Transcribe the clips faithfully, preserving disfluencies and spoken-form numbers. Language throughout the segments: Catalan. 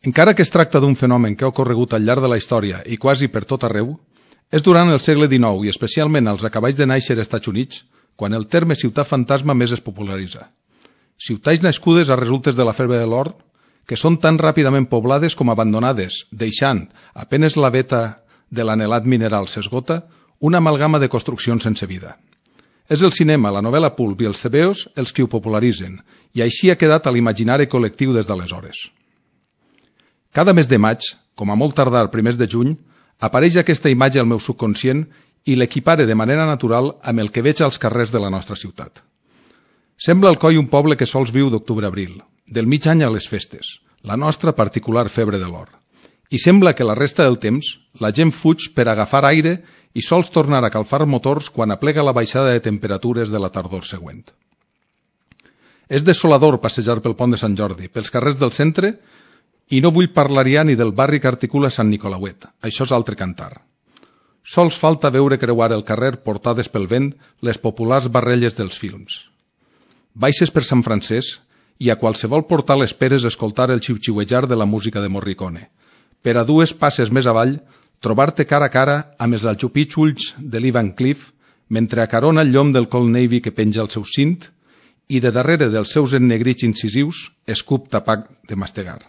Encara que es tracta d'un fenomen que ha ocorregut al llarg de la història i quasi per tot arreu, és durant el segle dinou i especialment als acaballs de nàixer als Estats Units quan el terme ciutat fantasma més es popularitza. Ciutats nascudes a resultes de la febre de l'or que són tan ràpidament poblades com abandonades, deixant, apenes la veta de l'anhelat mineral s'esgota, una amalgama de construccions sense vida. És el cinema, la novel·la pulp i els tebeos els que ho popularitzen, i així ha quedat a l'imaginari col·lectiu des d'aleshores. Cada mes de maig, com a molt tardar primers de juny, apareix aquesta imatge al meu subconscient i l'equipare de manera natural amb el que veig als carrers de la nostra ciutat. Sembla Alcoi un poble que sols viu d'octubre-abril, del mig any a les festes, la nostra particular febre de l'or. I sembla que la resta del temps la gent fuig per agafar aire i sols tornar a calfar motors quan aplega la baixada de temperatures de la tardor següent. És desolador passejar pel pont de Sant Jordi, pels carrers del centre, i no vull parlar ja ni del barri que articula Sant Nicolauet, això és altre cantar. Sols falta veure creuar el carrer portades pel vent les populars barrelles dels films. Baixes per Sant Francesc i a qualsevol portal esperes escoltar el xiu-xiuejar de la música de Morricone. Per a dues passes més avall, trobar-te cara a cara amb els aljupits ulls de l'Lee Van Cleef mentre acarona el llom del Colt Navy que penja al seu cint i de darrere dels seus ennegrits incisius escup tapac de mastegar.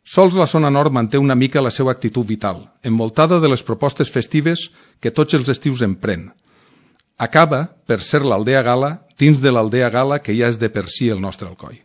Sols la zona nord manté una mica la seva actitud vital, envoltada de les propostes festives que tots els estius empren. Acaba per ser l'Aldea Gala dins de l'Aldea Gala que ja és de per si el nostre Alcoi.